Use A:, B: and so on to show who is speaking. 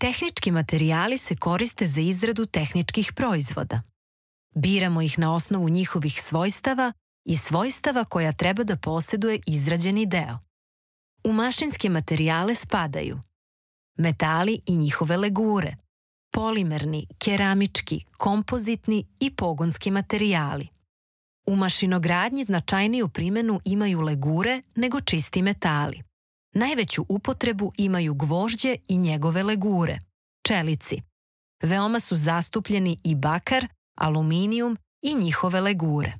A: Tehnički materijali se koriste za izradu tehničkih proizvoda. Biramo ih na osnovu njihovih svojstava i svojstava koja treba da posjeduje izrađeni deo. U mašinske materijale spadaju metali i njihove legure, polimerni, keramički, kompozitni i pogonski materijali. U mašinogradnji značajniju primjenu imaju legure nego čisti metali. Najveću upotrebu imaju gvožđe i njegove legure, čelici. Veoma su zastupljeni i bakar, aluminijum i njihove legure.